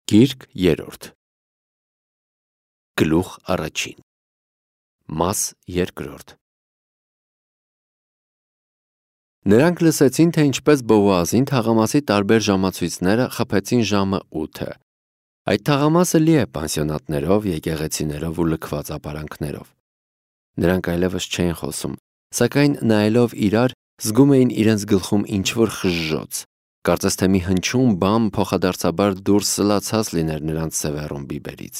Գիրք երրորդ Գլուխ առաջին Մաս երկրորդ Նրանք լսեցին, թե ինչպես Բոազին թաղամասի տարբեր ժամացույցները խփեցին ժամը 8-ը։ Այդ թաղամասը լի է պանսիոնատներով, եկեղեցիներով ու լքված ապարանքներով։ Նրանք այլևս չէին խոսում, սակայն նայելով իրար, զգում էին իրենց գլխում ինչ-որ խժժոց։ Կարծես թե մի հնչյուն բան փոխադարձաբար դուրս սլացած լիներ նրանց սևեռուն բիբերից։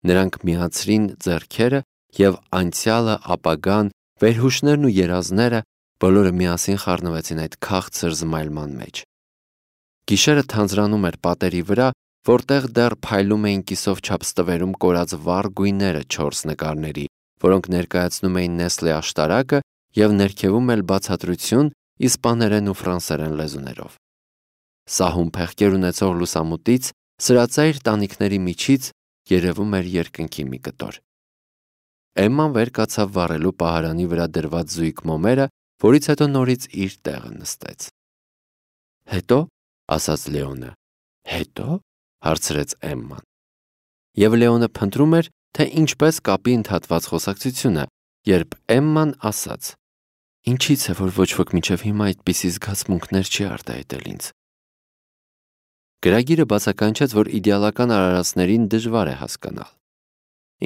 Նրանք միացրին ձեռքերը և անցյալը, ապագան, վերհուշներն ու երազները բոլորը միասին խառնվեցին այդ քաղցր զմայլման մեջ։ Գիշերը թանձրանում էր պատերի վրա, որտեղ դեռ փայլում էին կիսով չափ ստվերում կորած վառ գույները 4 նկարների, որոնք ներկայացնում էին Նեսլե աշտարակը և ներքևում էլ բացատրություն իսպաներեն ու ֆրանսերեն լեզուներով։ Սահուն փեղկեր ունեցող լուսամուտից սրածայր տանիքների միջից երևում էր երկնքի մի կտոր։ Էմման վեր կացավ վառելու պահարանի վրա դրված զույգ մոմերը, որից հետո նորից իր տեղը նստեց։ Հետո, ասաց Լեոնը։ Հետո, հարցրեց Էմման։ Եվ Լեոնը փնտրում էր, թե ինչպես կապի ընդհատված խոսակցությունը, երբ Էմման ասաց. Ինչից է, որ ոչ ոք մինչև հիմա այդպիսի զգացմունքներ չի արտահայտել ինձ։ Գրագիրը բացականչեց, որ իդեալական արարածներին դժվար է հասկանալ։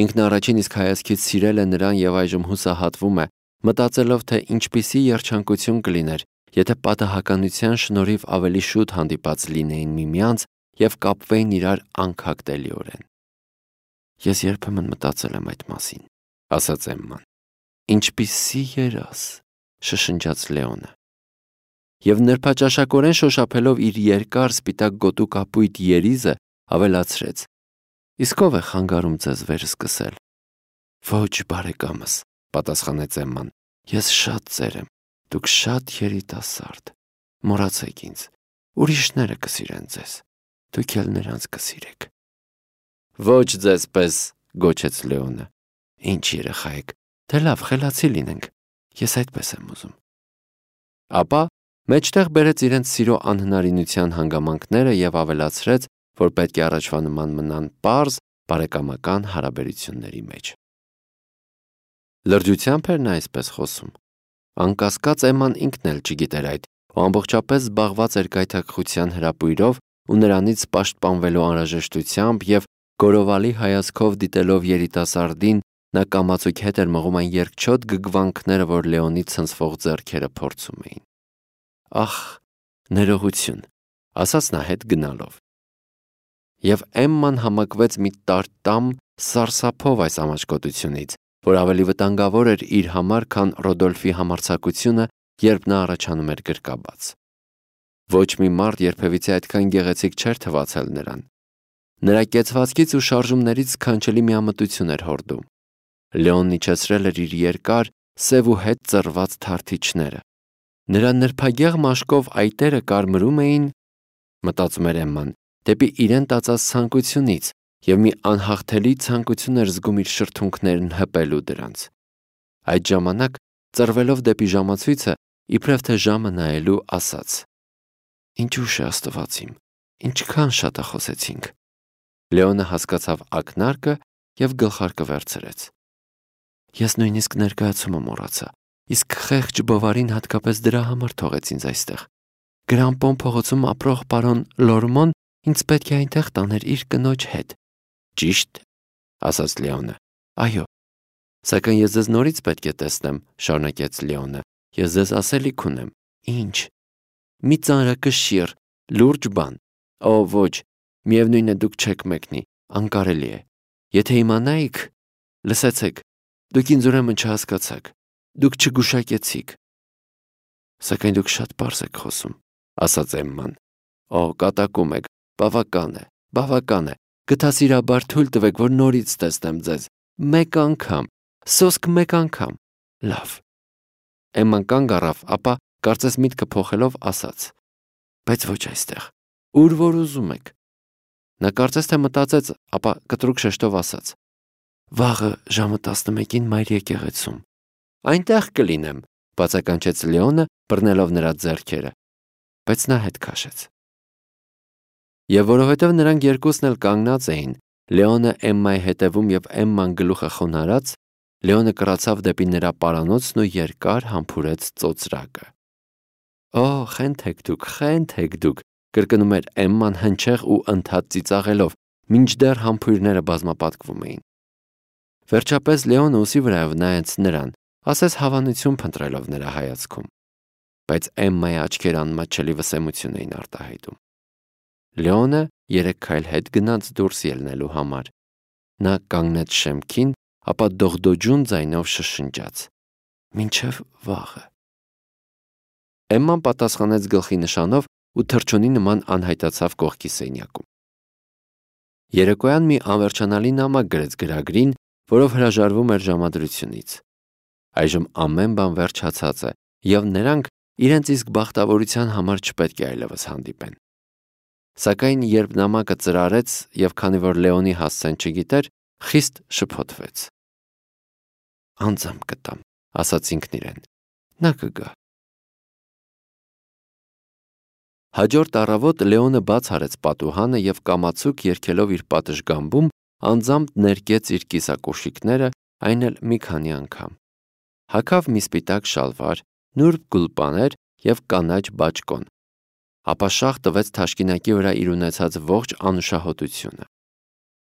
Ինքն առաջին իսկ հայացքից սիրել է նրան և այժմ հուսահատվում է, մտածելով, թե ինչպիսի երջանկություն կլիներ, եթե պատահականության շնորհիվ ավելի շուտ հանդիպած լինեին միմյանց և կապվեին իրար անքակտելիորեն։ Ես երբեմն մտածել եմ այդ մասին, ասաց Էմման։ Ինչպիսի երազ, շշնջաց Լեոնը։ Եվ նրբաճաշակորեն շոշափելով իր երկար սպիտակ գոտու կապույտ երիզը, ավելացրեց. Իսկ ով է խանգարում ձեզ վերսկսել։ Ոչ, բարեկամս, պատասխանեց Էմման, ես շատ ծեր եմ, դուք շատ երիտասարդ, մոռացեք ինձ, ուրիշները կսիրեն ձեզ, դուք էլ նրանց կսիրեք։ Ոչ ձեզ պես, գոչեց Լեոնը։ Ինչ երեխա եք, դե լավ, խելացի լինենք, ես այդպես եմ ուզում։ Ապա մեջտեղ բերեց իրենց սիրո անհնարինության հանգամանքները և ավելացրեց, որ պետք է առաջվա նման մնան պարզ, բարեկամական հարաբերությունների մեջ։ Լրջությամբ էր նա այսպես խոսում։ Անկասկած Էմման ինքն էլ չգիտեր այդ, ու ամբողջապես զբաղված էր գայթակղության հրապույրով ու նրանից պաշտպանվելու անհրաժեշտությամբ և գորովալի հայացքով դիտելով երիտասարդին, նա կամացուկ հետ էր մղում այն երկչոտ գգվանքները, որ Լեոնի ցնցվող ձեռքերը փորձում էին։ Ախ, ներողություն, ասաց նա հետ գնալով։ Եվ Էմման համակվեց մի տարտամ սարսափով այս ամաչկոտությունից, որ ավելի վտանգավոր էր իր համար, քան Ռոդոլֆի համարձակությունը, երբ նա առաջանում էր գրկաբաց։ Ոչ մի մարդ երբևիցե այդքան գեղեցիկ չէր թվացել նրան։ Նրա կեցվածքից ու շարժումներից սքանչելի միամտություն էր հորդում։ Լեոնն իջեցրել էր իր երկար, սև ու հետ ծռված թարթիչները։ Նրա նրբագեղ մաշկով այտերը կարմրում էին, մտածում էր Էմման, դեպի իրեն տածած ցանկությունից, և մի անհաղթելի ցանկություն էր զգում իր շրթունքներն հպելու դրանց։ Այդ ժամանակ, ծռվելով դեպի ժամացույցը, իբրև թե ժամը նայելու, ասաց. Ինչ ուշ է Աստված իմ, ինչքան շատախոսեցինք։ Լեոնը հասկացավ ակնարկը և գլխարկը վերցրեց։ Ես նույնիսկ ներկայացումը մոռացա, իսկ խեղճ բովարին հատկապես դրա համար թողեց ինձ այստեղ։ Գրանպոն փողոցում ապրող պարոն Լորմոն ինձ պետք է այնտեղ տաներ իր կնոջ հետ։ Ճիշտ, ասաց Լեոնը։ Այո, սակայն ես ձեզ նորից պետք է տեսնեմ, շարունակեց Լեոնը։ Ես ձեզ ասելիք ունեմ։ Ինչ։ Մի ծանրակշիռ, լուրջ բան։ Օ, ոչ, միևնույն է դուք չեք մեկնի, անկարելի է։ Եթե իմանայիք, լսեցեք, դուք ինձ ուրեմն չհասկացաք, դուք չգուշակեցիք։ Սակայն դուք շատ պարզ եք խոսում, ասաց Էմման։ Օ, կատակում եք, բավական է, գթասիրաբար թույլ տվեք, որ նորից տեսնեմ ձեզ, մեկ անգամ, սոսկ մեկ անգամ, լավ։ Էմման կանգ առավ, ապա, կարծես միտքը փոխելով, ասաց. Բայց ոչ այստեղ, ուր որ ուզում եք։ Նա կարծես թե մտածեց, ապա կտրուկ շեշտով ասաց. Վաղը ժամը 11-ին մայր եկեղեցում։ Այնտեղ կլինեմ, բացականչեց Լեոնը, բռնելով նրա ձեռքերը, բայց նա հետ քաշեց։ Եվ որովհետև նրանք երկուսն էլ կանգնած էին, Լեոնը Էմմայի հետևում եւ Էմման գլուխը խոնարհած, Լեոնը կռացավ դեպի նրա պարանոցն ու երկար համբուրեց ծոծրակը։ «Օ, խենթեք դուք», կրկնում էր Էմման հնչեղ ու ընդհատ ծիծաղելով, մինչդեռ համբույրները բազմապատկվում էին։ Վերջապես Լեոնը ուսի վրայով նայեց նրան, ասես հավանություն փնտրելով նրա հայացքում, բայց Էմմայի աչքերը անմատչելի վսեմություն էին արտահայտում։ Լեոնը 3 քայլ հետ գնաց դուրս ելնելու համար։ Նա կանգնեց շեմքին, ապա դողդոջուն ձայնով շշնջաց. «Մինչև վաղը»։ Էմման պատասխանեց գլխի նշանով ու թռչունի նման անհայտացավ կողքի սենյակում։ Երեկոյան մի անվերջանալի նամակ գրեց գրագրին, որով հրաժարվում էր ժամադրությունից։ Այժմ ամեն բան վերջացած է, եւ նրանք իրենց իսկ բախտավորության համար չպետք է այլևս հանդիպեն։ Սակայն երբ նամակը ծրարեց եւ քանի որ Լեոնի հասցեն չգիտեր, խիստ շփոթվեց։ «Անձամբ կտամ», ասաց ինքն իրեն, նա կգա։ Հաջորդ առավոտ Լեոնը բաց արեց պատուհանը եւ կամացուկ երգելով իր պատշգամբում անձամբ ներկեց իր կիսակոշիկները, այն էլ մի քանի անգամ։ Հագավ մի սպիտակ շալվար, նուրբ գուլպաներ եւ կանաչ բաճկոն, ապա շաղ տվեց թաշկինակի վրա իր ունեցած ողջ անուշահոտությունը։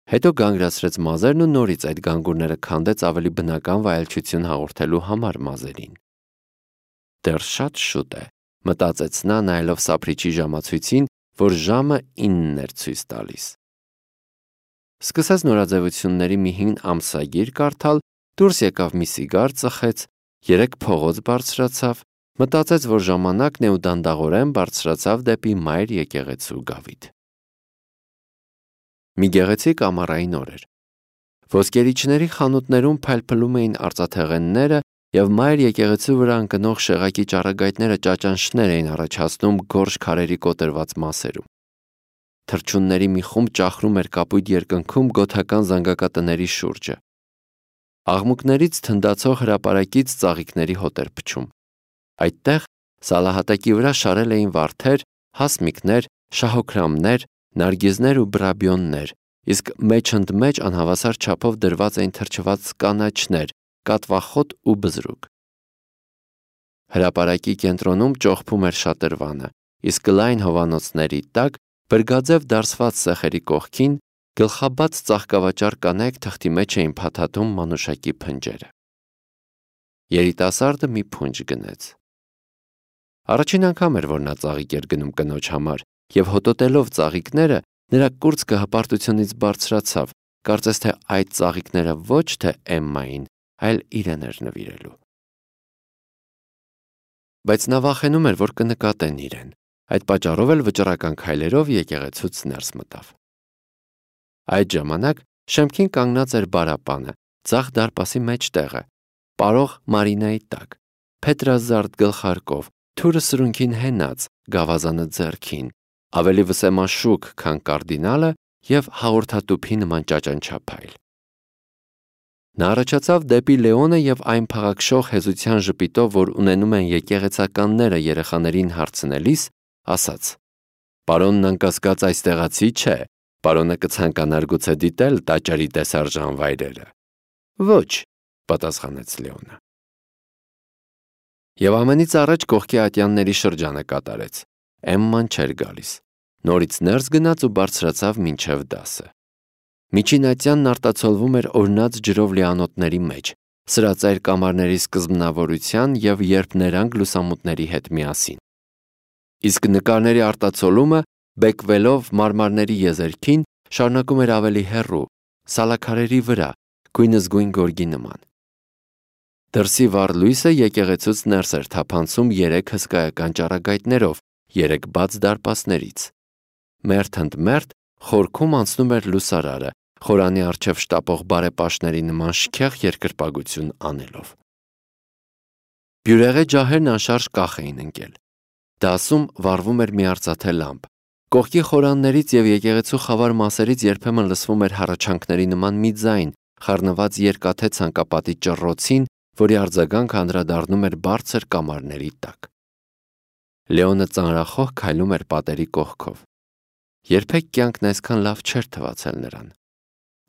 Հետո գանգրացրեց մազերն ու նորից այդ գանգուրները քանդեց ավելի բնական վայելչություն հաղորդելու համար մազերին։ Դեռ շատ շուտ է, մտածեց նա նայելով սափրիչի ժամացույցին, որ ժամը 9 էր ցույց տալիս։ Սկսեց նորաձևությունների մի հին ամսագիր կարդալ, դուրս եկավ մի սիգար ծխեց, 3 փողոց բարձրացավ, մտածեց, որ ժամանակն է ու դանդաղորեն բարձրացավ դեպի մայր եկեղեցու գավիթ։ Մի գեղեցիկ ամառային օր էր։ Ոսկերիչների խանութներում փայլփլում էին արծաթեղենները եւ մայր եկեղեցու վրա ընկնող շեղակի ճառագայթները ճաճանշներ էին առաջացնում գորշ քարերի կոտրված մասերում։ Թռչունների մի խումբ ճախրում էր կապույտ երկնքում գոթական զանգակատների շուրջը։ Աղմուկներից թնդացող հրապարակից ծաղիկների հոտ էր փչում։ Այդտեղ սալահատակի վրա շարել էին վարդեր, հասմիկներ, շահոքրամներ, նարգիզներ ու բրաբյոններ, իսկ մեջընդմեջ անհավասար չափով դրված էին թրջված կանաչներ, կատվախոտ ու բզրուկ։ Հրապարակի կենտրոնում ճողփում էր շատրվանը, իսկ լայն հովանոցների տակ, բրգաձև դարսված սեղերի կողքին, գլխաբաց ծաղկավաճառ կանայք թղթի մեջ էին փաթաթում մանուշակի փնջերը։ Երիտասարդը մի փունջ գնեց։ Առաջին անգամ էր, որ նա ծաղիկ էր գնում կնոջ համար, եւ հոտոտելով ծաղիկները, նրա կուրծքը հպարտությունից բարձրացավ, կարծես թե այդ ծաղիկները ոչ թե Էմմային, այլ իրեն էր նվիրելու։ Բայց նա վախենում էր, որ կնկատեն իրեն, այդ պատճառով էլ վճռական քայլերով եկեղեցուց ներս մտավ։ Այդ ժամանակ շեմքին կանգնած էր բարապանը, ձախ դարպասի մեջտեղը, պարող Մարինայի տակ, փետրազարդ գլխարկով, թուրը սրունքին հենած, գավազանը ձեռքին, ավելի վսեմաշուք, քան կարդինալը եւ հաղորդատուփի նման ճաճանչափայլ։ Նա առաջացավ դեպի Լեոնը եւ այն փաղաքշող հեզության ժպիտով, որ ունենում են եկեղեցականները երեխաներին հարցնելիս, ասաց. «Պարոնն անկասկած այստեղացի չէ, պարոնը կցանկանար գուցե դիտել տաճարի տեսարժան վայրերը»։ «Ոչ», պատասխանեց Լեոնը։ Եվ ամենից առաջ կողքի ատյանների շրջանը կատարեց։ Էմման չէր գալիս։ Նորից ներս գնաց ու բարձրացավ մինչև դասը։ Միջին ատյանն արտացոլվում էր օրնած ջրով լիանոթների մեջ, սրածայր կամարների սկզբնավորության եւ երբ նրանք լուսամուտների հետ միասին։ Իսկ նկարների արտացոլումը, բեկվելով մարմարների եզերքին, շարունակում էր ավելի հեռու, սալաքարերի վրա, գույնզգույն գորգի նման։ Դրսի վառ լույսը եկեղեցուց ներս էր թափանցում 3 հսկայական ճառագայթներով, 3 բաց դարպասներից։ Մերթ ընդ մերթ խորքում անցնում էր լուսարարը, խորանի առջև շտապող բարեպաշտների նման շքեղ երկրպագություն անելով։ Բյուրեղե ջահերն անշարժ կախ էին ընկել։ Դասում վառվում էր մի արծաթե լամբ։ Կողքի խորաններից եւ եկեղեցու խավար մասերից երբեմն լսվում էր հառաչանքների նման մի ձայն, խառնված երկաթե ցանկապատի ճռռոցին, որի արձագանքը անդրադառնում էր բարձր կամարների տակ։ Լեոնը ծանրախոհ քայլում էր պատերի կողքով։ Երբեք կյանքն այսքան լավ չէր թվացել նրան։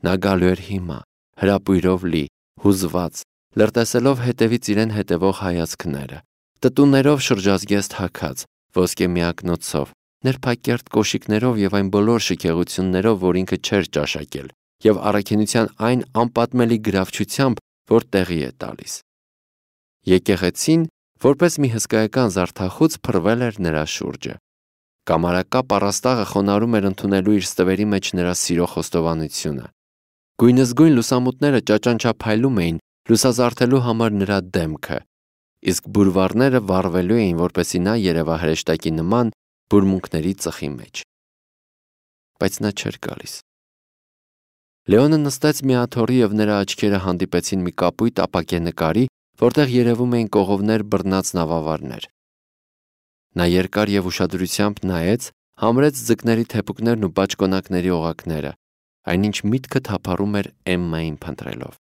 Նա գալու էր հիմա, հրապույրով լի, հուզված, լրտեսելով հետևից իրեն հետևող հայացքները, տտուներով շրջազգեստ հագած, ոսկե միակնոցով, ներփակերտ կոշիկներով եւ այն բոլոր շքեղություններով, որ ինքը չէր ճաշակել, եւ առաքինության այն անպատմելի գրավչությամբ, որ տեղի է տալիս։ Եկեղեցին, որպես մի հսկայական զարդախոց, փռվել էր նրա շուրջը։ Կամարակապ առաստաղը խոնարհում էր ընդունելու իր ստվերի մեջ նրա սիրո խոստովանությունը։ Գույնզգույն լուսամուտները ճաճանչափայլում էին, լուսազարդելու համար նրա դեմքը, իսկ բուրվարները վառվելու էին, որպեսզի նա երևա հրեշտակի նման բուրմունքների ծխի մեջ։ Բայց նա չէր գալիս։ Լեոնը նստեց մի աթոռի եւ նրա աչքերը հանդիպեցին մի կապույտ ապակե նկարի, որտեղ երևում էին կողովներ բռնած նավավարներ։ Նա երկար եւ ուշադրությամբ նայեց, համրեց ձկների թեփուկներն ու բաճկոնակների օղակները, այնինչ միտքը թափառում էր Էմմային փնտրելով։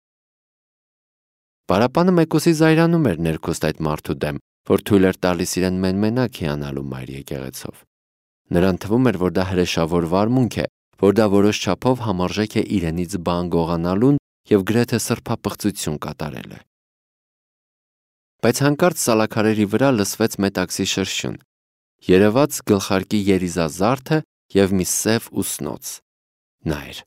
Պարապանը մեկուսի զայրանում էր ներքուստ այդ մարդու դեմ, որ թույլ էր տալիս իրեն մենմենակ հիանալու մայր եկեղեցով։ Նրան թվում էր, որ դա հրեշավոր վարմունք է, որ դա որոշ չափով համարժեք է իրենից բան գողանալուն եւ գրեթե սրբապղծություն կատարելը։ Բայց հանկարծ սալաքարերի վրա լսվեց մետաքսի շրշյուն, երևաց գլխարկի երիզազարդը եւ մի սև ուսնոց։ Նա էր։